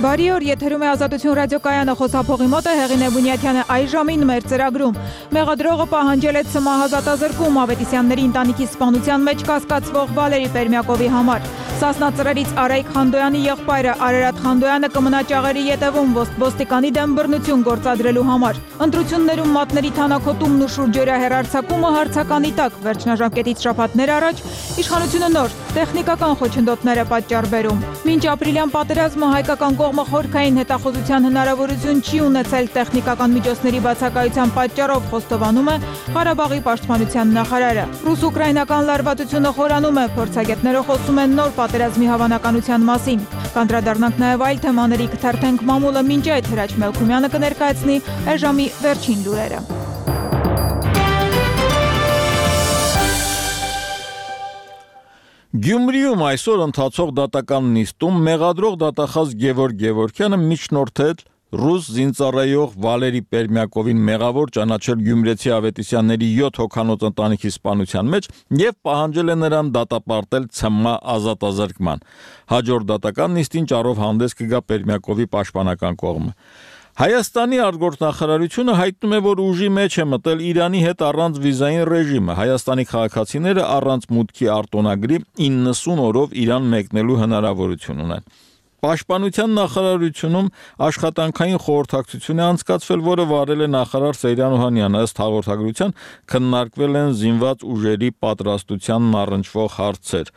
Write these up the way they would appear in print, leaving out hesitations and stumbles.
Բարի օր, եթերում է Ազատություն ռադիոկայանը, խոսափողի մոտ է Հեղինե Բունյաթյանը այս ժամին մեր ծրագրում։ Մեղադրողը պահանջել է ցմահազատազրկում Ավետիսյանների ընտանիքի սպանության մեջ կասկածվող Վալերի Պերմյակովի համար։ Սասնա ծռերից Արայիկ Խանդոյանի եղբայրը Արարատ Խանդոյանը կմնա ճաղերի ետևում ոստիկանի դեմ բռնություն գործադրելու համար։ Ընտրություններում մատների թանաքոտումն ու շուրջօրյա հեռարձակումը հարցականի տակ, վերջնաժամկետից շաբաթներ առաջ իշխանությունը նոր տեխնիկական խոչընդոտներ է պատճառ բերում։ Մինչ ապրիլյան պատերազմը հայկական կողմը խորքային հետախուզության հնարավորություն չի ունեցել տեխնիկական միջոցների բացակայության պատճառով, խոստովանում է Ղարաբաղի պաշտպանության նախարարը։ Ռուս-ուկրաինական լարվածությունը խորանում է, փորձագետները խոսում են նոր պատերազմի հավանականության մասին։ Կանդրադառնանք նաև այլ թեմաների, կթերթենք մամուլը, մինչ այդ Հրաչ Մելքումյանը կներկայացնի այժմի վերջին լուրերը։ Գյումրիում այսօր ընթացող դատական նիստում մեղադրող դատախազ Գևորգ Գևորգյանը միջնորդել ռուս զինծառայող Վալերի Պերմյակովին մեղավոր ճանաչել գյումրեցի ավետիսյանների 7 հոգանոց ընտանիքի սպանության մեջ եւ պահանջել է նրան դատապարտել ՑՄ ազատազրկման։ Հաջորդ դատական նիստին ճառով հանդես կգա Պերմյակովի պաշտպանական կողմը։ Հայաստանի արտգործնախարարությունը հայտնում է, որ ուժի մեջ է մտել Իրանի հետ առանց վիզային ռեժիմը։ Հայաստանի քաղաքացիները առանց մուտքի արտոնագրի 90 օրով Իրան մեկնելու հնարավորություն ունեն։ Պաշտպանության նախարարությունում աշխատանքային խորհրդակցություն է անցկացվել, որը վարել է նախարար Սեյրան Օհանյանը, ըստ հաղորդագրության քննարկվել են զինված ուժերի պատրաստությանն առնչվող հարցեր։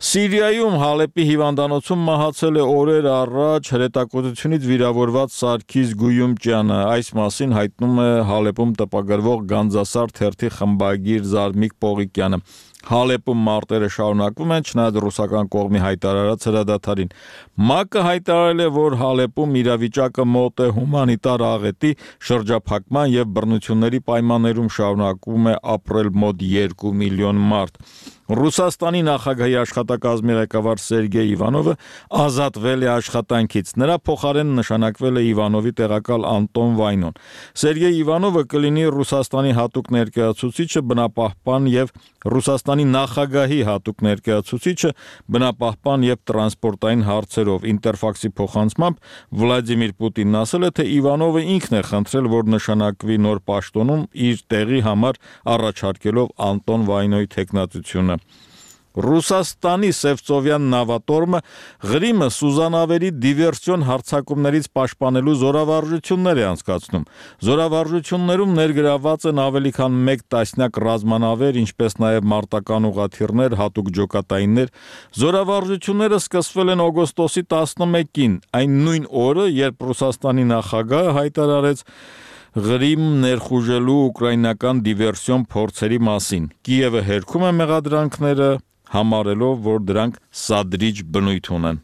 Սիրիայում Հալեպի հիվանդանոցում մահացել է օրեր առաջ հրետակոծությունից վիրավորված Սարգիս Գույումջյանը։ Այս մասին հայտնում է Հալեպում տպագրվող Գանձասար թերթի խմբագիր Զարմիկ Պողիկյանը։ Հալեպում մարտերը շարունակվում են, չնայած ռուսական կողմի հայտարարած հրադադարին։ ՄԱԿ-ը հայտարարել է, որ Հալեպում իրավիճակը մոտ է հումանիտար աղետի, շրջափակման եւ բռնությունների պայմաններում շարունակվում է ապրել մոտ 2 միլիոն մարդ։ Ռուսաստանի նախագահի աշխատակազմի ղեկավար Սերգեյ Իվանովը ազատվել է աշխատանքից։ Նրա փոխարեն նշանակվել է Իվանովի տեղակալ Անտոն Վայնոն։ Սերգեյ Իվանովը կլինի Ռուսաստանի հատուկ ներկայացուցիչը բնապահպան եւ Ռուսաստանի նախագահի հատուկ ներկայացուցիչը բնապահպան եւ տրանսպորտային հարցերով։ Ինտերֆաքսի փոխանցմամբ Վլադիմիր Պուտինն ասել է, թե Իվանովը ինքն է խնդրել, որ նշանակվի նոր պաշտոնում իր տեղի համար առաջարկելով Անտոն Վայնոյի թեկնածությունը։ Ռուսաստանի Սևծովյան նավատորմը Ղրիմը Սուզանավերի դիվերսիոն հարձակումներից պաշտպանելու զորավարժություններ է անցկացնում։ Զորավարժություններում ներգրավված են ավելի քան 1 տասնյակ ռազմանավեր, ինչպես նաև մարտական ուղղաթիռներ, հատուկ ջոկատայիններ։ Զորավարժությունները սկսվել են օգոստոսի 11-ին, այն նույն օրը, երբ Ռուսաստանի նախագահը հայտարարեց Ղրիմ ներխուժելու ուկրաինական դիվերսիոն փորձերի մասին։ Կիևը հերքում է մեղադրանքները, համարելով, որ դրանք սադրիչ բնույթ ունեն։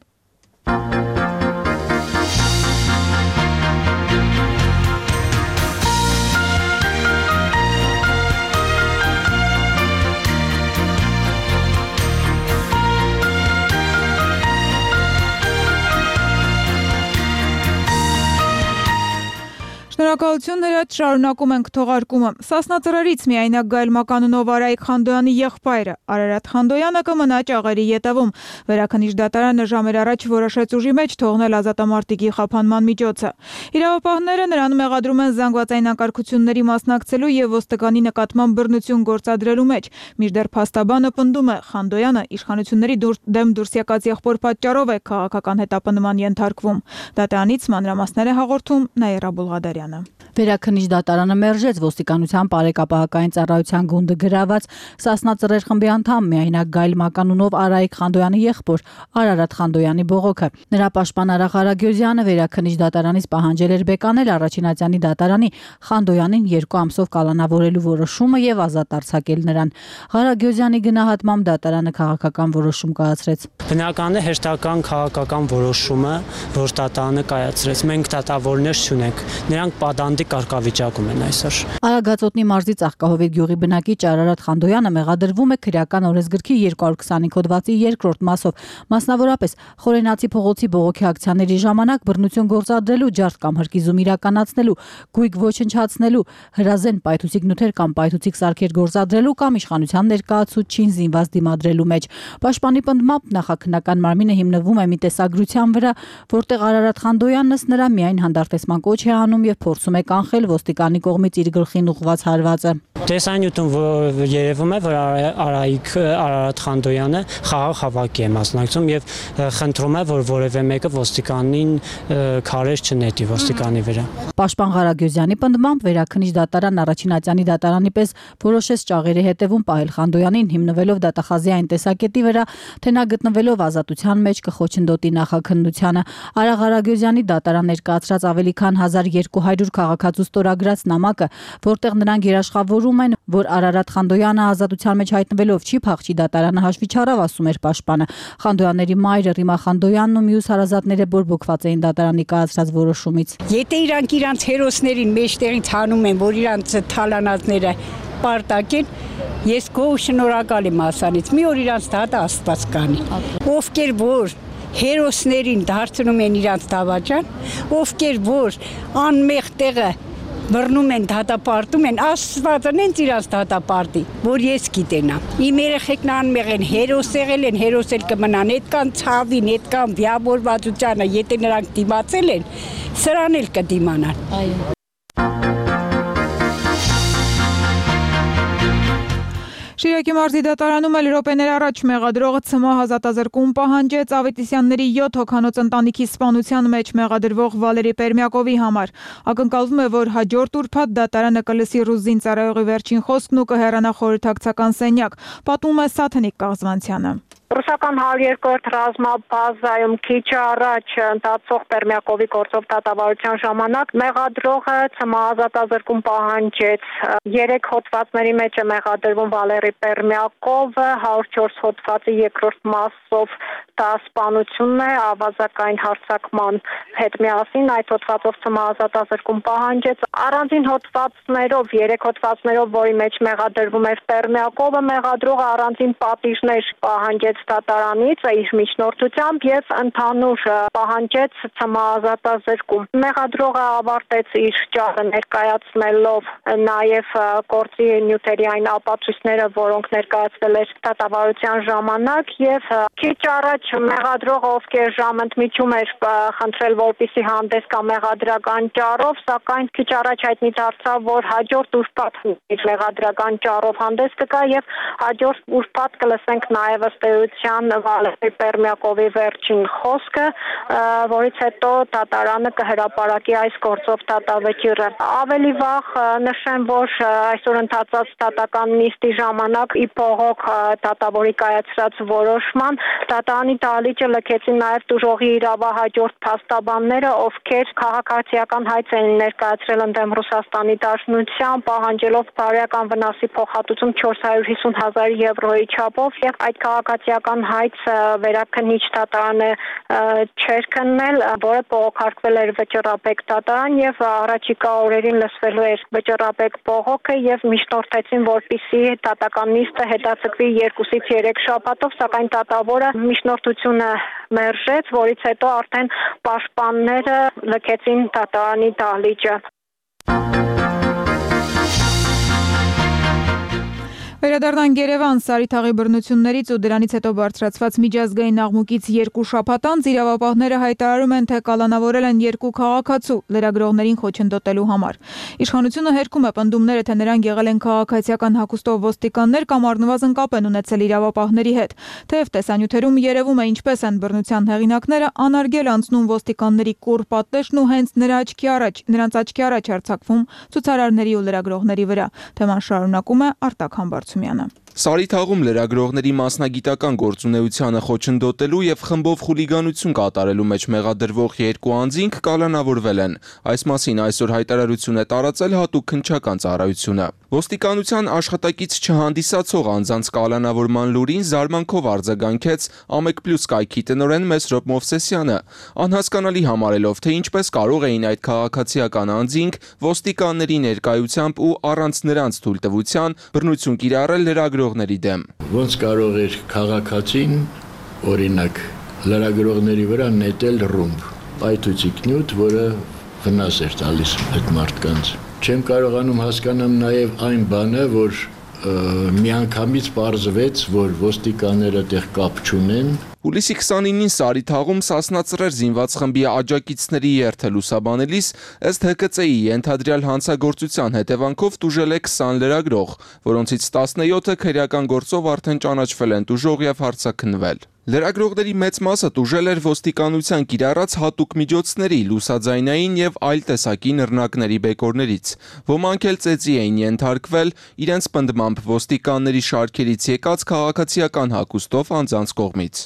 Շնորհակալություն Հրաչ, շարունակում ենք թողարկումը։ Սասնա ծռերից միայնակ Գայլ Մականունով Արայիկ Խանդոյանի եղբայրը Արարատ Խանդոյանը կմնա ճաղերի ետևում։ Վերաքննիչ դատարանը ժամեր առաջ որոշեց ուժի մեջ թողնել ազատամարտիկի խափանման միջոցը։ Իրավապահները նրան մեղադրում են զանգվածային անկարգությունների մասնակցելու եւ ոստիկանի նկատմամբ բռնություն գործադրելու մեջ։ Մինչդեռ փաստաբանը պնդում է, Խանդոյանը իշխանությունների դեմ դուրս եկած եղբոր պատճառով է քաղաքական հետապնդման ենթարկվում։ Դատարանից մանրամասներ է հաղորդում Նաիրա Բուլղադարյանը։ Վերաքննիչ դատարանը մերժեց ոստիկանության բարեկապահական ծառայության գունդը գրաված Սասնա ծռեր խմբի անդամ միայնակ Գայլ Մականունով Արայիկ Խանդոյանի եղբոր Արարատ Խանդոյանի բողոքը։ Նրա պաշտպան Արա Ղարագյուզյանը վերաքննիչ դատարանից պահանջել էր բեկանել Առաջինատյանի դատարանի Խանդոյանին 2 ամսով կալանավորելու որոշումը եւ ազատ արձակել նրան։ Ղարագյուզյանի գնահատմամբ դատարանը քաղաքական որոշում կայացրեց։ Բնական է հերթական քաղաքական որոշումը, որ դատարանը կայացրեց։ Մենք դատավորներ չունենք։ Նրանք պատանդի կարգավիճակում են այսօր։ Արագածոտնի մարզի Ծաղկահովիտ գյուղի բնակիչ Արարատ Խանդոյանը մեղադրվում է քրեական օրենսգրքի 225 հոդվածի 2-րդ մասով, մասնավորապես Խորենացի փողոցի բողոքի ակցիաների ժամանակ բռնություն գործադրելու, ջարդ կամ հրկիզում իրականացնելու, գույք ոչնչացնելու, հրազեն պայթուցիկ նյութեր կամ պայթուցիկ սարքեր գործադրելու կամ իշխանության ներկայացուցչին զինված դիմադրելու մեջ։ Պաշտպանի պնդմամբ նախաքննական մարմինը հիմնվում է մի տեսագրության վրա, որտեղ Արարատ Խանդոյանն ըստ նրա միայն հանդարտեցման կոչ է անում եւ փորձում է կանխել ոստիկանի կողմից իր գլխին ուղղված հարվածը։ Տեսանյութում երևում է, որ Արարատ Խանդոյանը խաղաղ հավաքի է մասնակցում եւ խնդրում է, որ որևէ մեկը ոստիկանին քարեր չնետի ոստիկանի վրա։ Պաշտպան Ղարագյուզյանի պնդմամբ վերաքննիչ դատարան առաջին ատյանի դատարանի պես որոշեց ճաղերի հետևում պահել Խանդոյանին հիմնվելով դատախազի այն տեսակետի վրա, թե նա գտնվելով ազատության մեջ կխոչընդոտի նախաքննությանը։ Արա Ղարագյուզյանի դատարան ներկայացրած ավելի քան 1200 քաղաքացու ստորագրած նամակը, որտեղ նրանք երաշխավորում են, որ Արարատ Խանդոյանը ազատության մեջ հայտնվելով չի փախչի դատարանը հաշվի չառավ, ասում էր պաշտպանը։ Խանդոյանների մայրը Ռիմա Խանդոյանն ու մյուս հարազատները բորբոքված էին դատարանի կայացրած որոշումից։ Եթե իրանք հերոսներին մեջտեղից հանում են, որ իրանք թալանածները պարտակեն, ես գոհ շնորհակալ եմ ասանից։ Մի օր իրանք դատը Աստված կանի։ Ովքեր որ հերոսներին դարձնում են իրանք դավաճան, ովքեր որ անմեղ տեղը բռնում են, դատապարտում են, Աստվածը նենց իրանք դատապարտի, որ ես գիտենամ։ Իմ երեխեքն անմեղ են, հերոս եղել են, հերոս էլ կմնան, այդքան ցավին, այդքան վիավորվածությանը, եթե նրանք դիմացել են, սրան էլ կդիմանան։ Այո։ Շիրակի մարզի դատարանում էլ րոպեներ առաջ մեղադրողը ՑՄ ազատազրկում պահանջեց Ավետիսյանների 7 հոգանոց ընտանիքի սպանության մեջ մեղադրվող Վալերի Պերմյակովի համար։ Ակնկալվում է, որ հաջորդ ուրբաթ դատարանը կլսի ռուս զինծառայողի վերջին խոսքն ու կհեռանա խորհրդակցական սենյակ, պատմում է Սաթենիկ Կաղզվանցյանը։ Ռուսական 102-րդ ռազմաբազայում քիչ առաջ ընթացող Պերմյակովի գործով դատավարության ժամանակ մեղադրողը ՑՄ ազատազրկում պահանջեց 3 հոդվածների մեջ է մեղադրվում Վալերի Պերմյակովը 104 հոդվածի 2-րդ մասով դա սպանությունն է ավազակային հարձակման հետ միասին այդ հոդվածով ՑՄ ազատազրկում պահանջեց առանձին հոդվածներով 3 հոդվածներով որի մեջ մեղադրվում էր Պերմյակովը մեղադրողը առանձին պատիժներ պահանջեց դատարանից իր միջնորդությամբ եւ ընդհանուր պահանջեց ՑՄ ազատազրկում։ Մեղադրողը ավարտեց իր ճառը ներկայացնելով նաեւ գործի նյութերի այն ապացույցները, որոնք ներկայացվել էր դատավարության ժամանակ եւ քիչ առաջ մեղադրողը ովքեր ժամընդմիջում էր խնդրել որպեսզի հանդես գա մեղադրական ճառով, սակայն քիչ առաջ հայտնի դարձավ, որ հաջորդ ուրբաթ իր մեղադրական ճառով հանդես կգա եւ հաջորդ ուրբաթ կլսենք նաեւ ըստ Վալերի Պերմյակովի վերջին խոսքը, որից հետո դատարանը կհրապարակի այս գործով դատավճիռը։ Ավելի վաղ նշեմ, որ այսօր ընթացած դատական նիստի ժամանակ ի փողոք դատավորի կայացրած որոշման դատարանի դահլիճը լքեցին նաև տուժողի իրավահաջորդ փաստաբանները, ովքեր քաղաքացիական հայց են ներկայացրել ընդդեմ Ռուսաստանի Դաշնության, պահանջելով բարոյական վնասի փոխհատուցում 450,000 եվրոյի չափով եւ այդ քաղաքացիական հայց վերաքննիչ դատարանը չէր քննել, որը բողոքարկվել էր վճռաբեկ դատարան եւ առաջիկա օրերին լսվելու էր վճռաբեկ բողոքը եւ միջնորդեցին, որպիսի դատական նիստը հետաձգվի 2-ից 3 շաբաթով, սակայն դատավորը միջնորդությունը մերժեց, որից հետո արդեն պաշտպանները լքեցին դատարանի դահլիճը։ Վերադառնանք Երևան, Սարիթաղի բռնություններից ու դրանից հետո բարձրացված միջազգային աղմուկից 2 շաբաթ անց իրավապահները հայտարարում են, թե կալանավորել են 2 քաղաքացու լրագրողներին խոչընդոտելու համար։ Իշխանությունը հերքում է պնդումները, թե նրանք եղել են քաղաքացիական հագուստով ոստիկաններ կամ առնվազն կապ են ունեցել իրավապահների հետ։ Թեև տեսանյութերում երևում է ինչպես են բռնության հեղինակները անարգել անցնում ոստիկանների կուռ պատնեշն ու հենց նրանց աչքի առաջ արձակվում ցուցարարների ու լրագրողների վրա։ Թեման շարունակում է Արտակ Համբարձումյանը։ Սարիթաղում լրագրողների մասնագիտական գործունեությանը խոչընդոտելու եւ խմբով խուլիգանություն կատարելու մեջ մեղադրվող 2 անձինք կալանավորվել են։ Այս մասին այսօր հայտարարություն է տարածել հատուկ քննչական ծառայությունը։ Ոստիկանության աշխատակից չհանդիսացող անձանց կալանավորման լուրին զարմանքով արձագանքեց Ամեկ+ կայքի տնօրեն Մեսրոպ Մովսեսյանը, անհասկանալի համարելով, թե ինչպես կարող էին այդ քաղաքացիական անձինք ոստիկանների ներկայությամբ ու առանց նրանց թույլտվության բռնություն կիրառել լրագրողների դեմ։ Ոնց կարող էր քաղաքացին, օրինակ, լրագրողների վրա նետել ռումբ, պայթուցիկ նյութ, որը վնաս էր տալիս այդ մարդկանց։ Չեմ կարողանում հասկանամ նաև այն բանը, որ միանգամից պարզվեց, որ ոստիկանները տեղ կապ չունեն։ Հուլիսի 29-ին Սարիթաղում Սասնա Ծռեր զինված խմբի աջակիցների երթը լուսաբանելիս ըստ ՀԿՑ-ի ենթադրյալ հանցագործության հետևանքով տուժել է 20 լրագրող, որոնցից 17-ը քրեական գործով արդեն ճանաչվել են տուժող եւ հարձակնվել։ Լրագրողների մեծ մասը տուժել էր ոստիկանության կիրառած հատուկ միջոցների, լուսաձայնային եւ այլ տեսակի նռնակների բեկորներից։ Ոմանք էլ ծեծի էին ենթարկվել իրենց պնդմամբ ոստիկանների շարքերից եկած քաղաքացիական հագուստով անձանց կողմից։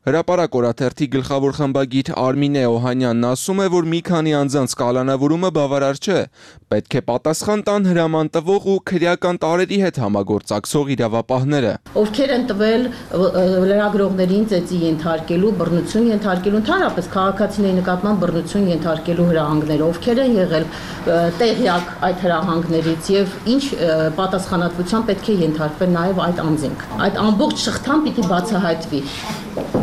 Հրապարակ օրաթերթի գլխավոր խմբագիր Արմինե Օհանյանն ասում է, որ մի քանի անձանց կալանավորումը բավարար չէ, պետք է պատասխան տան հրաման տվող ու քրեական տարերի հետ համագործակցող իրավապահները։ Ովքեր են տվել լրագրողներին ծեծի ենթարկելու, բռնություն ենթարկելու, ընդհանրապես քաղաքացիների նկատմամբ բռնություն ենթարկելու հրահանգները, ովքեր են եղել տեղյակ այդ հրահանգներից եւ ինչ պատասխանատվության պետք է ենթարկվեն նաեւ այդ անձինք։ Այդ ամբողջ շղթան պիտի բացահայտվի։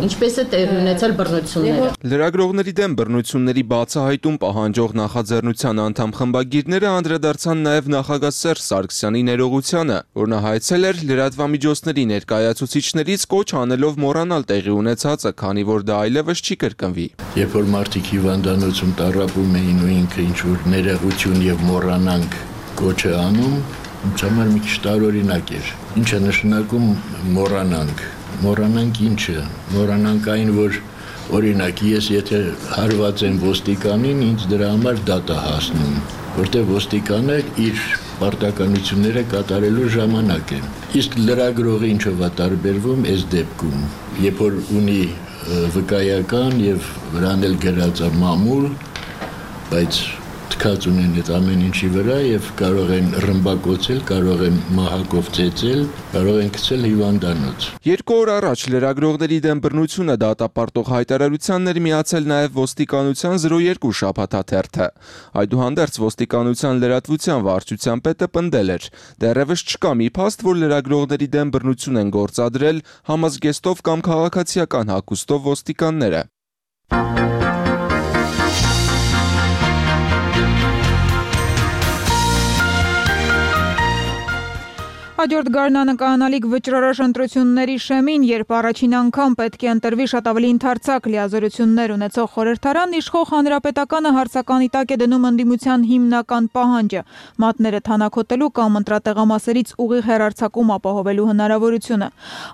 Ինչպես է տեղի ունեցել բռնությունները։ Լրագրողների դեմ բռնությունների բացահայտում պահանջող նախաձեռնության անդամ խմբագիրները անդրադարձան նաև նախագահ Սերժ Սարգսյանի ներողությանը, որն հայցել էր լրատվամիջոցների ներկայացուցիչներից կոչ անելով մոռանալ տեղի ունեցածը, քանի որ դա այլևս չի կրկնվի։ Երբ որ մարդիկ հիվանդանոցում տառապում էին ու ինքը ինչ-որ ներողություն եւ մոռանանք կոչ է անում, ինձ համար մի քիչ տարօրինակ էր։ Ինչ է նշանակում մոռանանք։ Մոռանանք ինչը, մոռանանք այն, որ օրինակ ես եթե հարված եմ ոստիկանին, ինձ դրա համար դատ է հասնում, որտեղ ոստիկանը իր պարտականությունները կատարելու ժամանակ է։ Իսկ լրագրողը ինչով է տարբերվում այս դեպքում, երբ որ ունի վկայական եւ վրան էլ գրած է մամուլ, բայց թքած ունեն այդ ամեն ինչի վրա եւ կարող են ռմբակոծել, կարող են մահակով ծեծել, կարող են գցել հիվանդանոց։ 2 օր առաջ լրագրողների դեմ բռնությունը դատապարտող հայտարարությանն էր միացել նաև ոստիկանության 02 շաբաթաթերթը։ Այդուհանդերձ ոստիկանության լրատվության վարչության պետը պնդել էր. դեռևս չկա մի փաստ, որ լրագրողների դեմ բռնություն են գործադրել համազգեստով կամ քաղաքացիական հագուստով ոստիկանները։ Հաջորդ գարնանկայանալիք վճռորոշ ընտրությունների շեմին, երբ առաջին անգամ պետք է ընտրվի շատ ավելի ընդարձակ լիազորություններ ունեցող խորհրդարան, իշխող հանրապետականը հարցականի տակ է դնում ընդդիմության հիմնական պահանջը՝ մատները թանաքոտելու կամ ընտրատեղամասերից ուղիղ հեռարձակում ապահովելու հնարավորությունը։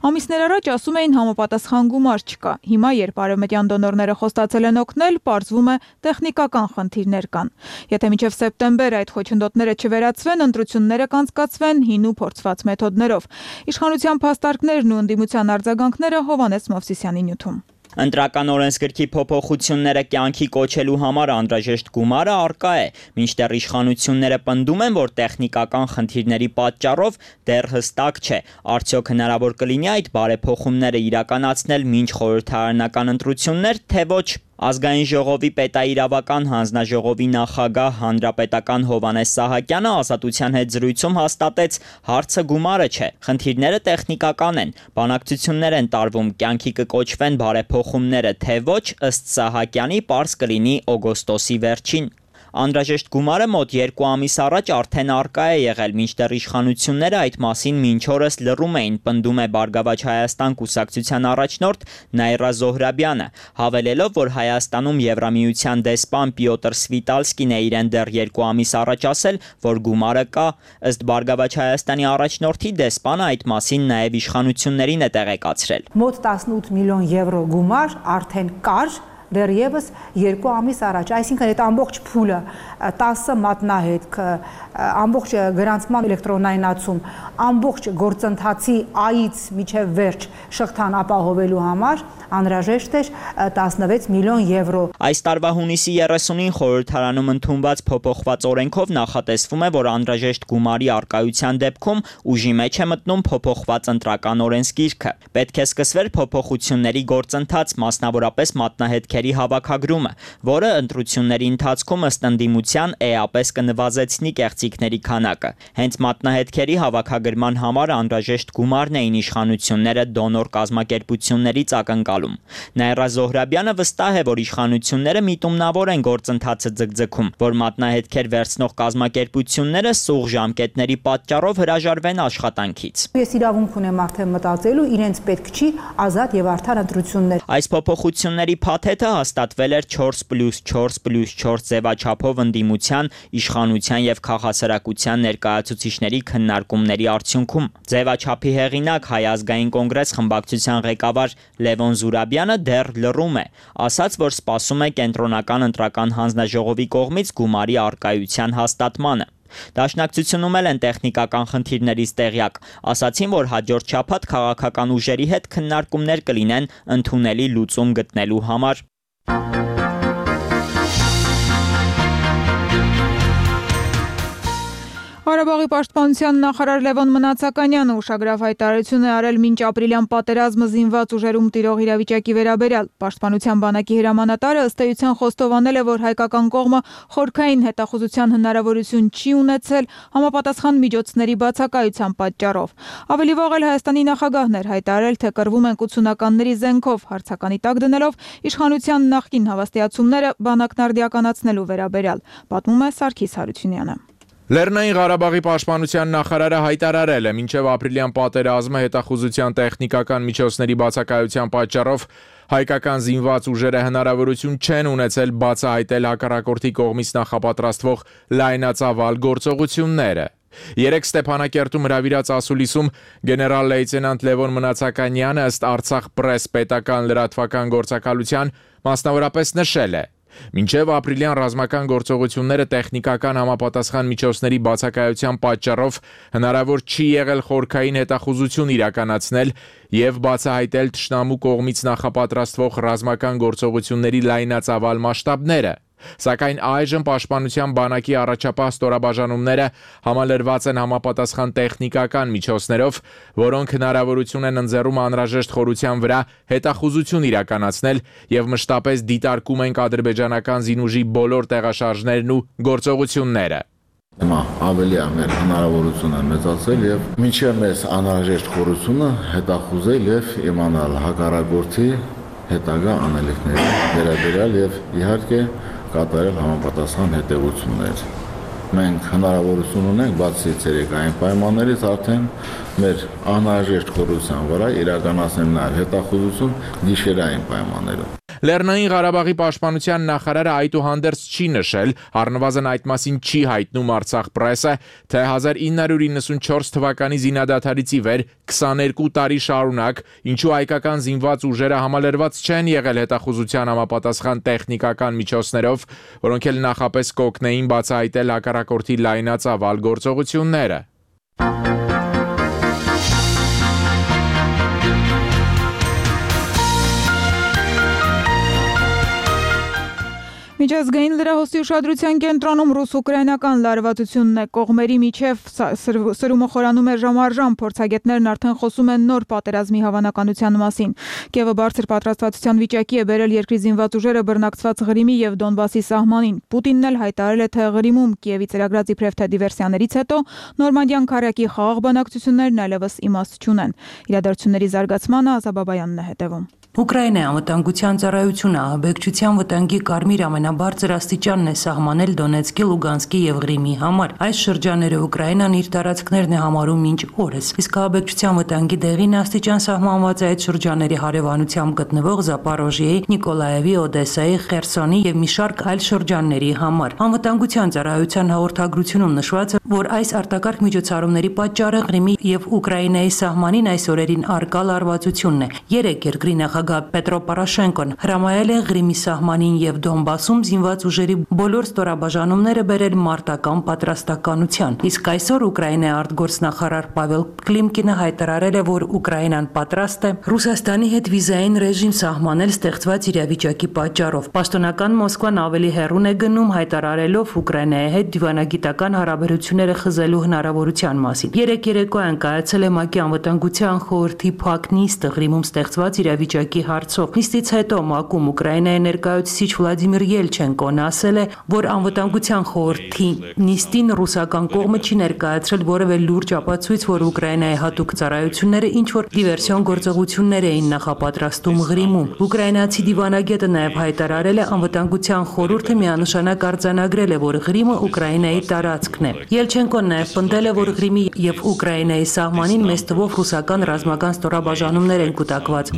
Ամիսներ առաջ ասում էին համապատասխան գումար չկա։ Հիմա, երբ արևմտյան դոնորները խոստացել են օգնել, պարզվում է տեխնիկական խնդիրներ կան։ Եթե մինչև սեպտեմբեր այդ խոչընդոտները չվերացվեն, ընտրությունները կանցկացվեն հին ու փորձված մեթոդներով։ Իշխանության փաստարկներն ու ընդդիմության արձագանքները Հովհաննես Մովսիսյանի նյութում։ Ընտրական օրենսգրքի փոփոխությունները կյանքի կոչելու համար անհրաժեշտ գումարը առկա է, մինչդեռ իշխանությունները պնդում են, որ տեխնիկական խնդիրների պատճառով դեռ հստակ չէ, արդյոք հնարավոր կլինի այդ բարեփոխումները իրականացնել մինչ խորհրդարանական ընտրություններ, թե ոչ։ Ազգային ժողովի պետաիրավական հանձնաժողովի նախագահ հանրապետական Հովհաննես Սահակյանը Ազատության հետ զրույցում հաստատեց, հարցը գումարը չէ, խնդիրները տեխնիկական են, բանակցություններ են տարվում, կյանքի կկոչվեն բարեփոխումները, թե ոչ, ըստ Սահակյանի պարզ կլինի օգոստոսի վերջին։ Անհրաժեշտ գումարը մոտ 2 ամիս առաջ արդեն առկա է եղել, մինչդեռ իշխանությունները այդ մասին մինչ օրս լռում էին, պնդում է Բարգավաճ Հայաստան կուսակցության առաջնորդ Նաիրա Զոհրաբյանը, հավելելով, որ Հայաստանում Եվրամիության դեսպան Պյոտր Սվիտալսկին է իրեն դեռ 2 ամիս առաջ ասել, որ գումարը կա, ըստ Բարգավաճ Հայաստանի առաջնորդի դեսպանը այդ մասին նաև իշխանություններին է տեղեկացրել։ Մոտ 18 միլիոն եվրո գումար արդեն կար դեռևս 2 ամիս առաջ, այսինքն այդ ամբողջ փուլը 10 մատնահետք, ամբողջ գրանցման էլեկտրոնայնացում, ամբողջ գործընթացի Ա-ից մինչև վերջ շղթան ապահովելու համար անհրաժեշտ էր 16 միլիոն եվրո։ Այս տարվա հունիսի 30-ին խորհրդարանում ընդունված փոփոխված օրենքով նախատեսվում է, որ անհրաժեշտ գումարի առկայության դեպքում ուժի մեջ է մտնում փոփոխված ընտրական օրենսգիրքը։ Պետք է սկսվեր փոփոխությունների գործընթաց, մասնավորապես մատնահետքերի հավաքագրումը, որը ընտրությունների ընթացքում ըստ ընդդիմության էապես կնվազեցնի կեղծիքների քանակը։ Հենց մատնահետքերի հավաքագրման համար անհրաժեշտ գումարն էին իշխանությունները դոնոր կազմակերպություններից ակնկալում։ Նաիրա Զոհրաբյանը վստահ է, որ իշխանությունները միտումնավոր են գործընթացը ձգձգում, որ մատնահետքեր վերցնող կազմակերպությունները սուղ ժամկետների պատճառով հրաժարվեն աշխատանքից։ Ես իրավունք ունեմ արդեն մտածելու, իրենց պետք չի ազատ եւ արդար ընտրություններ։ Այս փոփոխությունների փաթեթը հաստատվել էր 4+4+4 ձևաչափով ընդդիմության, իշխանության եւ քաղաքասարակության ներկայացուցիչների քննարկումների արդյունքում։ Ձևաչափի հեղինակ Հայ ազգային կոնգրես խմբակցության ղեկավար Լևոն Զուրաբյանը դեռ լռում է, ասաց, որ սպասում է կենտրոնական ընտրական հանձնաժողովի կողմից գումարի առկայության հաստատմանը։ Դաշնակցությունում էլ են տեխնիկական խնդիրներից տեղյակ, ասացին, որ հաջորդ շաբաթ քաղաքական ուժերի հետ քննարկումներ կլինեն ընդունելի լուծում գտնելու համար։ Ղարաբաղի պաշտպանության նախարար Լևոն Մնացականյանը ուշագրավ հայտարարություն է արել մինչ ապրիլյան պատերազմը զինված ուժերում տիրող իրավիճակի վերաբերյալ։ Պաշտպանության բանակի հրամանատարը ըստ էության խոստովանել է, որ հայկական կողմը խորքային հետախուզության հնարավորություն չի ունեցել համապատասխան միջոցների բացակայության պատճառով։ Ավելի վաղ էլ Հայաստանի նախագահն էր հայտարարել, թե կռվում են 80-ականների զենքով, հարցականի տակ դնելով իշխանության նախկին հավաստիացումները բանակն արդիականացնելու վերաբերյալ, պատմում է Սարգիս Հարությունյանը։ Լեռնային Ղարաբաղի պաշտպանության նախարարը հայտարարել է, մինչև ապրիլյան պատերազմը հետախուզության տեխնիկական միջոցների բացակայության պատճառով հայկական զինված ուժերը հնարավորություն չեն ունեցել բացահայտել հակառակորդի կողմից նախապատրաստվող լայնածավալ գործողությունները։ Երեկ Ստեփանակերտում հրավիրած ասուլիսում գեներալ լեյտենանտ Լևոն Մնացականյանը ըստ Արցախ պրես պետական լրատվական գործակալության մասնավորապես նշել է. Մինչև ապրիլյան ռազմական գործողությունները տեխնիկական համապատասխան միջոցների բացակայության պատճառով հնարավոր չի եղել խորքային հետախուզություն իրականացնել եւ բացահայտել թշնամու կողմից նախապատրաստվող ռազմական գործողությունների լայնածավալ մասշտաբները։ Սակայն այժմ պաշտպանության բանակի առաջապահ ստորաբաժանումները համալրված են համապատասխան տեխնիկական միջոցներով, որոնք հնարավորություն են ընձեռում անհրաժեշտ խորության վրա հետախուզություն իրականացնել եւ մշտապես դիտարկում են ադրբեջանական զինուժի բոլոր տեղաշարժներն ու գործողությունները։ Հիմա ավելի ամեր հնարավորություն է մեծացել եւ մինչեւ մեզ անհրաժեշտ խորությունը հետախուզել եւ իմանալ հակառակորդի հետագա անելիքների վերաբերյալ եւ իհարկե կատարել համապատասխան հետևություններ։ Մենք հնարավորություն ունենք բացի ցերեկային պայմաններից արդեն մեր անհրաժեշտ խորության վրա իրականացնել նաև հետախուզություն գիշերային պայմաններում։ Լեռնային Ղարաբաղի պաշտպանության նախարարը այդուհանդերձ չի նշել, առնվազն այդ մասին չի հայտնում Արցախ պրեսը, թե 1994 թվականի զինադադարից ի վեր 22 տարի շարունակ ինչու հայկական զինված ուժերը համալրված չեն եղել հետախուզության համապատասխան տեխնիկական միջոցներով, որոնք էլ նախապես կօգնեին բացահայտել հակառակորդի լայնածավալ գործողությունները։ Միջազգային լրահոսի ուշադրության կենտրոնում ռուս-ուկրաինական լարվածությունն է, կողմերի միջև սրումը խորանում է ժամ առ ժամ, փորձագետներն արդեն խոսում են նոր պատերազմի հավանականության մասին։ Կիևը բարձր պատրաստվածության վիճակի է բերել երկրի զինված ուժերը բռնակցված Ղրիմի եւ Դոնբասի սահմանին։ Պուտինն էլ հայտարարել է, թե Ղրիմում Կիևի ծրագրած իբրև թե դիվերսիաներից հետո Նորմանդիան քարյակի խաղաղ բանակցություններն այլևս իմաստ չունեն։ Իրադարձությունների զարգացմանը Ազաբաբայանն է հետևում։ Ուկրաինայի անվտանգության ծառայությունը ահաբեկչության վտանգի կարմիր ամենաբարձր աստիճանն է սահմանել Դոնեցկի, Լուգանսկի եւ Ղրիմի համար։ Այս շրջանները Ուկրաինան իր տարածքներն է համարում մինչ օրս, իսկ ահաբեկչության վտանգի դեղին աստիճան սահմանված է այդ շրջանների հարևանությամբ գտնվող Զապորոժիեի, Նիկոլաևի, Օդեսայի, Խերսոնի եւ մի շարք այլ շրջանների համար։ Անվտանգության ծառայության հաղորդագրությունում նշված է, որ այս արտակարգ միջոցառումների պատճառը Ղրիմի եւ Ուկրաինայի սահմանին այս օրերին արկա լարվածությունն է։ Երեք երկրի նախագահ նախագահ Պետրո Պորոշենկոն հրամայել է Ղրիմի սահմանին եւ Դոնբասում զինված ուժերի բոլոր ստորաբաժանումները բերել մարտական պատրաստականության։ Իսկ այսօր Ուկրաինայի արտգործնախարար Պավել Կլիմկինը հայտարարել է, որ Ուկրաինան պատրաստ է Ռուսաստանի հետ վիզային ռեժիմ սահմանել ստեղծված իրավիճակի պատճառով։ Պաշտոնական Մոսկվան ավելի հեռուն է գնում հայտարարելով Ուկրաինայի հետ դիվանագիտական հարաբերությունները խզելու հնարավորության մասին։ Երեք երեկոյան կայացել է ՄԱԿ-ի անվտանգության խորհրդի փակ նիստը Ղրիմում ստեղծված իրավիճակի հարցով։ Նիստից հետո ՄԱԿ-ում Ուկրաինայի ներկայացուցիչ Վլադիմիր Ելչենկոն ասել է, որ անվտանգության խորհրդի նիստին ռուսական կողմը չի ներկայացրել որևէ լուրջ ապացույց, որ Ուկրաինայի հատուկ ծառայությունները ինչ-որ դիվերսիոն գործողություններ էին նախապատրաստում Ղրիմում։ Ուկրաինացի դիվանագետը նաև հայտարարել է, անվտանգության խորհուրդը միանշանակ արձանագրել է, որ Ղրիմը Ուկրաինայի տարածքն է։ Ելչենկոն նաև պնդել է, որ Ղրիմի եւ Ուկրաինայի սահմանին մեծ թվով ռուսական ռազմական ստորաբաժանումներ են կուտակված։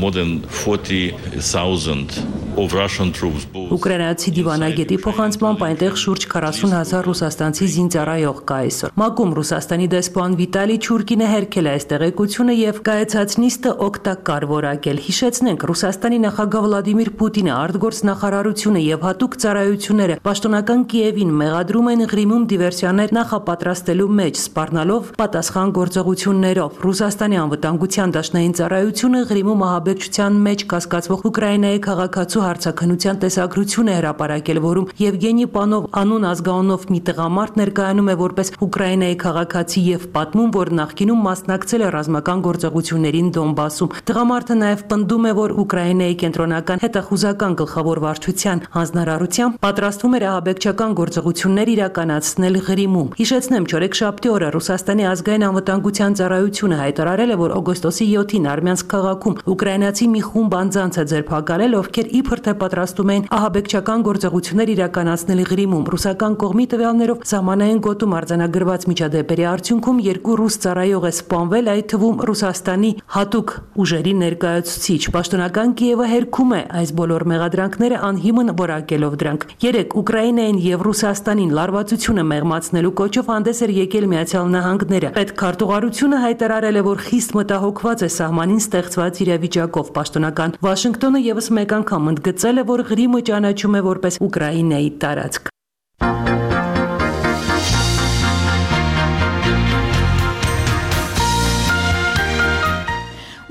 Ուկրաինացի դիվանագետի փոխանցմամբ այնտեղ շուրջ 40,000 ռուսաստանցի զինծառայող կա այսօր։ ՄԱԿ-ում Ռուսաստանի դեսպան Վիտալի Չուրկինը հերքել է այս տեղեկությունը եւ կայացած նիստը օգտակար որակել։ Հիշեցնենք, Ռուսաստանի նախագահ Վլադիմիր Պուտինը, արտգործնախարարությունը եւ հատուկ ծառայությունները պաշտոնական Կիևին մեղադրում են Ղրիմում դիվերսիաներ նախապատրաստելու մեջ, սպառնալով պատասխան գործողություններով։ Ռուսաստանի անվտանգության դաշնային ծառայությունը Ղրիմում ահաբեկչության մեջ կասկածվող Ուկրաինայի քաղաքացու հարցաքննության տեսագրություն է հրապարակել, որում Եվգենի Պանով անուն ազգանունով մի տղամարդ ներկայանում է որպես Ուկրաինայի քաղաքացի եւ պատմում, որ նախկինում մասնակցել է ռազմական գործողություններին Դոնբասում։ Տղամարդը նաև պնդում է, որ Ուկրաինայի կենտրոնական հետախուզական գլխավոր վարչության հանձնարարությամբ պատրաստվում էր ահաբեկչական գործողություններ իրականացնել Ղրիմում։ Հիշեցնեմ, չորեքշաբթի օրը Ռուսաստանի ազգային անվտանգության ծառայությունը հայտարարել է, որ օգոստոսի 7-ին Արմյանսկ քաղաքում ուկրաինացի մի խումբ անձանց է ձերբակալել, ովքեր իբր թե պատրաստում էին ահաբեկչական գործողություններ իրականացնել Ղրիմում։ Ռուսական կողմի տվյալներով սահմանային գոտում արձանագրված միջադեպերի արդյունքում 2 ռուս ծառայող է սպանվել, այդ թվում Ռուսաստանի հատուկ ուժերի ներկայացուցիչ։ Պաշտոնական Կիևը հերքում է այս բոլոր մեղադրանքները անհիմն որակելով դրանք։ Երեք Ուկրաինային եւ Ռուսաստանին լարվածությունը մեղմացնելու կոչով հանդես էր եկել Միացյալ Նահանգները։ Պետքարտուղարությունը հայտարարել է, որ խիստ մտահոգված է սահմանին ստեղծված իրավիճակով։ Պաշտոնական Վաշինգտոնը եւս մեկ անգամ ընդգծել է, որ Ղրիմը ճանաչում է որպես Ուկրաինայի տարածք։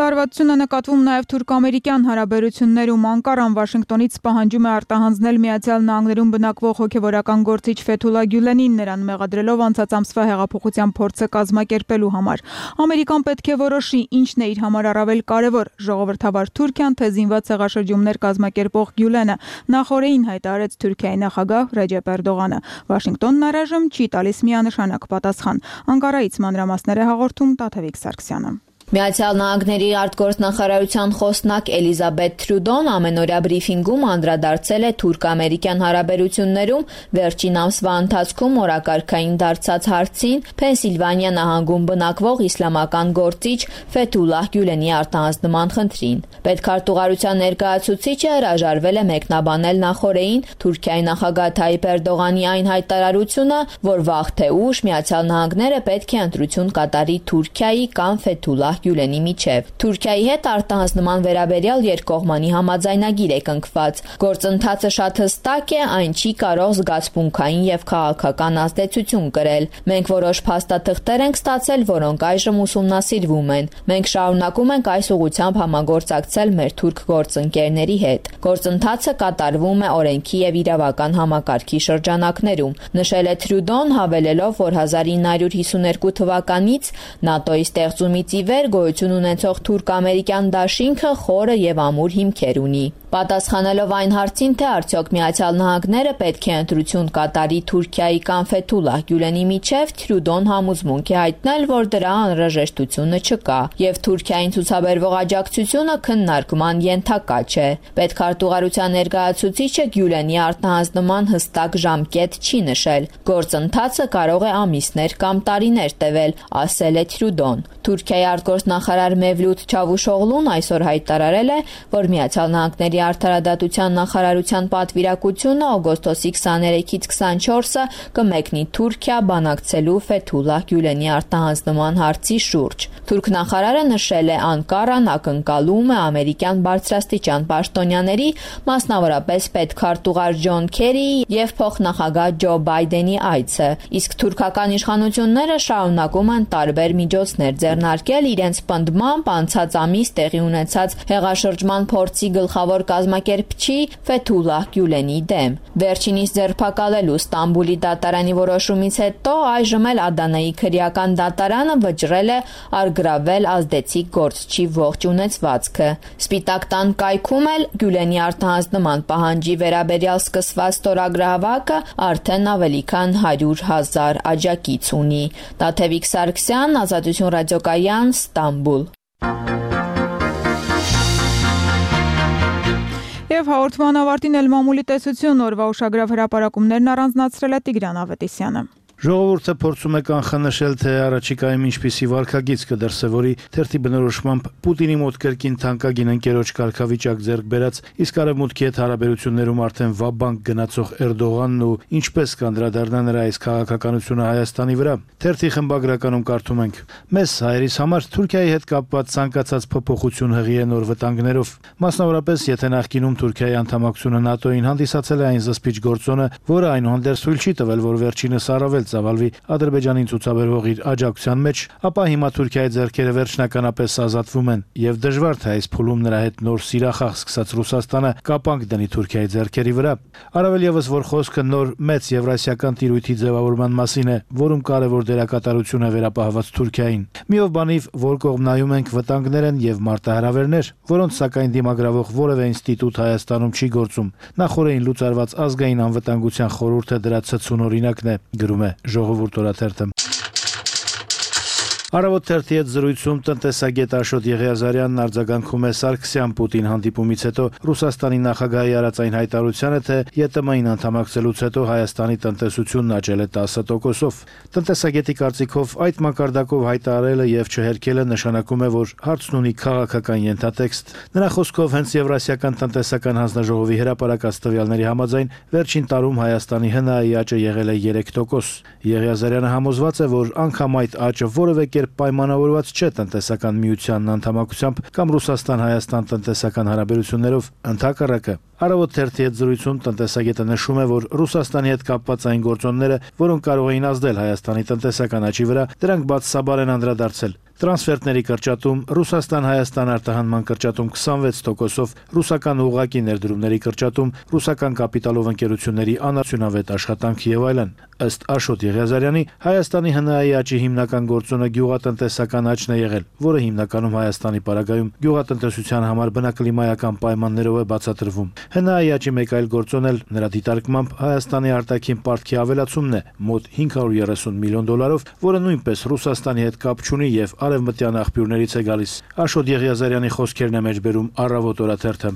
Լարվածությունը նկատվում նաև թուրք-ամերիկյան հարաբերություններում։ Անկարան Վաշինգտոնից պահանջում է արտահանձնել Միացյալ Նահանգներում բնակվող հոգևորական գործիչ Ֆեթուլա Գյուլենին, նրան մեղադրելով անցած ամսվա հեղափոխության փորձը կազմակերպելու համար։ Ամերիկան պետք է որոշի, ինչն է իր համար առավել կարևոր՝ ժողովրդավար Թուրքիան, թե զինված հեղաշրջումներ կազմակերպող Գյուլենը, նախորդին հայտարարեց Թուրքիայի նախագահ Ռեջեփ Էրդողանը։ Վաշինգտոնն առայժմ չի տալիս միանշանակ պատասխան։ Անկարայից մանրամասներ է հաղորդում Տաթևիկ Սարգսյանը։ Միացյալ Նահանգների արտգործնախարարության խոսնակ Էլիզաբեթ Թրյուդոն ամենօրյա բրիֆինգում անդրադարձել է թուրք-ամերիկյան հարաբերություններում վերջին ամսվա ընթացքում օրակարգային դարձած հարցին Փենսիլվանիա նահանգում բնակվող իսլամական գործիչ Ֆեթուլահ Գյուլենի արտահանձնման խնդրին։ Պետքարտուղարության ներկայացուցիչը հրաժարվել է մեկնաբանել նախորդին Թուրքիայի նախագահ Թայիպ Էրդողանի այն հայտարարությունը, որ վաղ թե ուշ Միացյալ Նահանգները պետք է ընտրություն կատարի Թուրքիայի կամ Ֆեթուլահ Գյուլենի միջև։ Թուրքիայի հետ արտահանձնման վերաբերյալ երկկողմանի համաձայնագիր է կնքված։ Գործընթացը շատ հստակ է, այն չի կարող զգացմունքային եւ քաղաքական ազդեցություն կրել։ Մենք որոշ փաստաթղթեր ենք ստացել, որոնք այժմ ուսումնասիրվում են։ Մենք շարունակում ենք այս ուղղությամբ համագործակցել մեր թուրք գործընկերների հետ։ Գործընթացը կատարվում է օրենքի եւ իրավական համակարգի շրջանակներում, նշել է Թրյուդոն, հավելելով, որ 1952 թվականից ՆԱՏՕ-ի ստեղծումից ի վեր գոյություն ունեցող թուրք-ամերիկյան դաշինքը խորը եւ ամուր հիմքեր ունի։ Պատասխանելով այն հարցին, թե արդյոք Միացյալ Նահանգները պետք է ընտրություն կատարի Թուրքիայի կամ Ֆեթուլահ Գյուլենի միջև, Թրյուդոն համոզմունք է հայտնել, որ դրա անհրաժեշտությունը չկա եւ Թուրքիային ցուցաբերվող աջակցությունը քննարկման ենթակա չէ։ Պետքարտուղարության ներկայացուցիչը Գյուլենի արտահանձնման հստակ ժամկետ չի նշել։ Գործընթացը կարող է ամիսներ կամ տարիներ տևել, ասել է Թրյուդոն։ Թուրքիայի արտգործնախարար Մեվլութ Չավուշօղլուն այսօր հայտարարել է, որ Միացյալ Նահանգների արդարադատության նախարարության պատվիրակությունը օգոստոսի 23-ից 24-ը կմեկնի Թուրքիա բանակցելու Ֆեթուլլահ Գյուլենի արտահանձնման հարցի շուրջ։ Թուրք նախարարը նշել է Անկարան ակնկալում է ամերիկյան բարձրաստիճան պաշտոնյաների, մասնավորապես պետքարտուղար Ջոն Քերիի եւ փոխնախագահ Ջո Բայդենի այցը, իսկ թուրքական իշխանությունները շարունակում են տարբեր միջոցներ ձեռնարկել իրենց պնդմամբ անցած ամիս տեղի ունեցած հեղաշրջման փորձի գլխավոր կազմակերպչի Ֆեթուլլահ Գյուլենի դեմ։ Վերջինիս ձերբակալելու Ստամբուլի դատարանի որոշումից հետո այժմ էլ Ադանայի քրեական դատարանը վճռել է արգրավել ազդեցիկ գործչի ողջ ունեցվածքը։ Սպիտակ տան կայքում էլ Գյուլենի արտահանձնման պահանջի վերաբերյալ սկսված ստորագրահավաքը արդեն ավելի քան 100,000 աջակից ունի։ Տաթևիկ Սարգսյան, Ազատություն ռադիոկայան, Ստամբուլ։ Եվ հաղորդման ավարտին էլ մամուլի տեսություն օրվա ուշագրավ հրապարակումներն առանձնացրել է Տիգրան Ավետիսյանը։ Ժողովուրդը փորձում է կանխանշել, թե առաջիկայում ինչպիսի վարքագիծ կդրսևորի թերթի բնորոշմամբ Պուտինի մոտ կրկին թանկագին ընկերոջ կարգավիճակ ձեռք բերած, իսկ արևմուտքի հետ հարաբերություններում արդեն վաբանկ գնացող Էրդողանն ու ինչպես կանդրադառնա նրա այս քաղաքականությունը Հայաստանի վրա։ Թերթի խմբագրականում կարդում ենք. «Մեզ հայերիս համար Թուրքիայի հետ կապված ցանկացած փոփոխություն հղի է նոր վտանգներով, մասնավորապես եթե նախկինում Թուրքիայի անդամակցությունը ՆԱՏՕ-ին հանդիսացել է այն զսպիչ գործոնը, որը այնուհանդերձ թույլ չի տվել, որ վերջինս առավել ծավալվի Ադրբեջանին ցուցաբերվող իր աջակցության մեջ, ապա հիմա Թուրքիայի ձեռքերը վերջնականապես ազատվում են եւ դժվար թե այս փուլում նրա հետ նոր սիրախաղ սկսած Ռուսաստանը կապանք դնի Թուրքիայի ձեռքերի վրա։ Առավել եւս որ խոսքը նոր մեծ եվրասիական տիրույթի ձևավորման մասին է, որում կարևոր դերակատարություն է վերապահված Թուրքիային։ Միով բանիվ, որ կողմ նայում ենք, վտանգներ են եւ մարտահրավերներ, որոնց սակայն դիմագրավող որևէ ինստիտուտ Հայաստանում չի գործում։ Նախորդին լուծարված ազգային անվտանգության խորհուրդը դրա ցցուն օրինակն է, գրում է Ժողովուրդ օրաթերթը։ Առավոտ թերթի հետ զրույցում տնտեսագետ Աշոտ Եղիազարյանն արձագանքում է Սարգսյան-Պուտին հանդիպումից հետո Ռուսաստանի նախագահի արած այն հայտարարությանը, թե ԵՏՄ-ին անդամակցելուց հետո Հայաստանի տնտեսությունն աճել է 10%-ով։ Տնտեսագետի կարծիքով այդ մակարդակով հայտարարելը եւ չհերքելը նշանակում է, որ հարցն ունի քաղաքական ենթատեքստ։ Նրա խոսքով հենց Եվրասիական տնտեսական հանձնաժողովի հրապարակած տվյալների համաձայն վերջին տարում Հայաստանի ՀՆԱ-ի աճը եղել է 3%։ Եղիազարյանը համոզված է, որ անգամ այդ աճը որևէ պայմանավորված չէ տնտեսական միությանն անդամակցությամբ կամ Ռուսաստան-Հայաստան տնտեսական հարաբերություններով, ընդհակառակը։ Առավոտ թերթի հետ զրույցում տնտեսագետը նշում է, որ Ռուսաստանի հետ կապված այն գործոնները, որոնք կարող էին ազդել Հայաստանի տնտեսական աճի վրա, դրանք բացասաբար են անդրադարձել։ Տրանսֆերտների կրճատում, Ռուսաստան-Հայաստան արտահանման կրճատում 26%-ով, ռուսական ուղղակի ներդրումների կրճատում, ռուսական կապիտալով ընկերությունների անարդյունավետ աշխատանք եւ այլն։ Ըստ Աշոտ Եղիազարյանի, Հայաստանի ՀՆԱ-ի աճի հիմնական գործոնը գյուղատնտեսական աճն է եղել, որը հիմնականում Հայաստանի պարագայում գյուղատնտեսության համար բնակլիմայական պայմաններով է բացատրվում։ ՀՆԱ-ի աճի մեկ այլ գործոն էլ նրա դիտարկմամբ Հայաստանի արտաքին պարտքի ավելացումն է, մոտ $530 միլիոն, որը նույնպես Ռուսաստանի հետ կապ չունի եւ արևմտյան աղբյուրներից է գալիս։ Աշոտ Եղիազարյանի խոսքերն է մեջբերում Առավոտ օրաթերթը։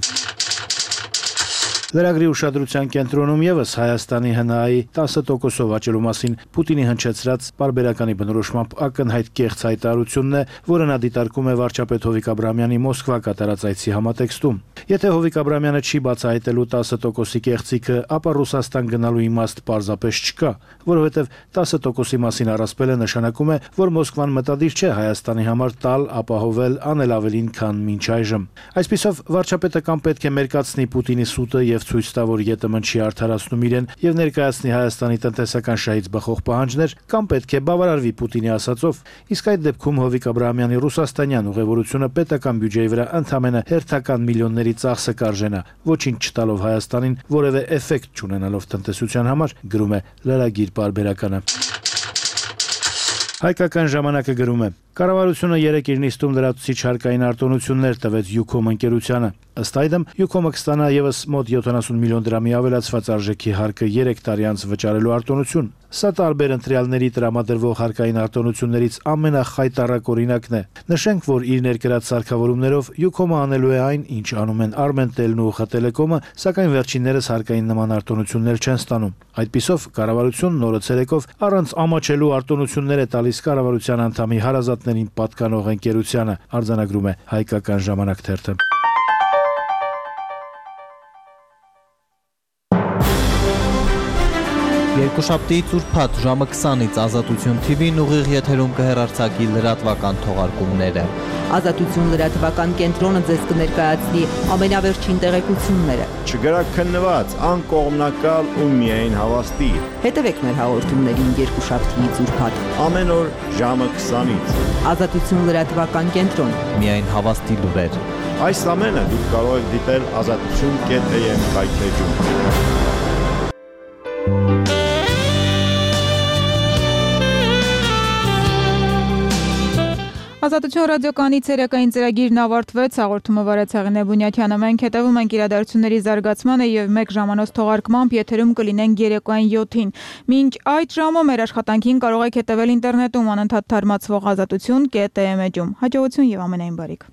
Լրագրի ուշադրության կենտրոնում եւս Հայաստանի ՀՆԱ-ի 10%-ով աճելու մասին Պուտինի հնչեցրած պարբերականի բնորոշմամբ ակնհայտ կեղծ հայտարարությունն է, որը նա դիտարկում է վարչապետ Հովիկ Աբրահամյանի Մոսկվա կատարած այցի համատեքստում։ Եթե Հովիկ Աբրահամյանը չի բացահայտելու 10%-ի կեղծիքը, ապա Ռուսաստան գնալու իմաստ պարզապես չկա, որովհետև 10%-ի մասին առասպելը նշանակում է, որ Մոսկվան մտադիր չէ Հայաստանի համար տալ, ապահովել, անել ավելին, քան մինչ այժմ։ Այսպիսով վարչապետը կամ պետք է մերկացնի Պուտինի սուտը եւ ցույց տա, որ ԵՏՄ-ն չի արդարացնում իրեն եւ ներկայացնի Հայաստանի տնտեսական շահից բխող պահանջներ, կամ պետք է բավարարվի Պուտինի ասածով։ Իսկ այդ դեպքում Հովիկ Աբրահամյանի ռուսաստանյան ուղևորությունը պետական բյուջեի վրա ընդամենը հերթական միլիոնների ծախսը կարժենա, ոչինչ չտալով Հայաստանին, որևէ էֆեկտ չունենալով տնտեսության համար, գրում է լրագիր պարբերականը։ Հայկական ժամանակը գրում է. Կառավարությունը երեկ իր նիստում լրացուցիչ հարկային արտոնություններ տվեց Յուքոմ ընկերությանը։ Ըստ այդմ Յուքոմը կստանա եւս մոտ 70 միլիոն դրամի ավելացված արժեքի հարկը 3 տարի անց վճարելու արտոնություն։ Սա տարբեր ընտրյալների տրամադրվող հարկային արտոնություններից ամենախայտառակ օրինակն է։ Նշենք, որ իր ներկրած սարքավորումներով Յուքոմը անելու է այն, ինչ անում են Armentel-ն ու ԽՏելեկոմը, սակայն վերջիններս հարկային նման արտոնություններ չեն ստանում։ Այդպիսով կառավարությունն օրը ցերեկով առանց ամաչելու արտոնություններ է տալիս կառավարության անդամի հարազատներին պատկանող ընկերությանը, արձանագրում է Հայկական ժամանակ թերթը։ Երկուշաբթի ծուրփաթ ժամը 20-ից Ազատություն TV-ն ուղիղ եթերում կհեռարձակի լրատվական թողարկումները։ Ազատություն լրատվական կենտրոնը ձեզ կներկայացնի ամենավերջին տեղեկությունները։ Չգրաքննված, անկողմնակալ ու միայն հավաստի։ Հետևեք մեր հաղորդումներին երկուշաբթիից ուրբաթ։ Ամեն օր ժամը 20-ից։ Ազատություն լրատվական կենտրոն։ Միայն հավաստի լուրեր։ Այս ամենը դուք կարող եք դիտել azatutun.am կայքեջում։ Ազատություն ռադիոկայանի ցերեկային ծրագիրն ավարտվեց, հաղորդումը վարեց Հեղինե Բունյաթյանը։ Մենք հետևում ենք իրադարձությունների զարգացմանը եւ մեկ ժամանոց թողարկմամբ եթերում կլինենք երեկոյան 7-ին։ Մինչ այդ ժամը մեր աշխատանքին կարող եք հետևել ինտերնետում անընդհատ թարմացվող azatutun.am էջում։ Հաջողություն եւ ամենայն բարիք։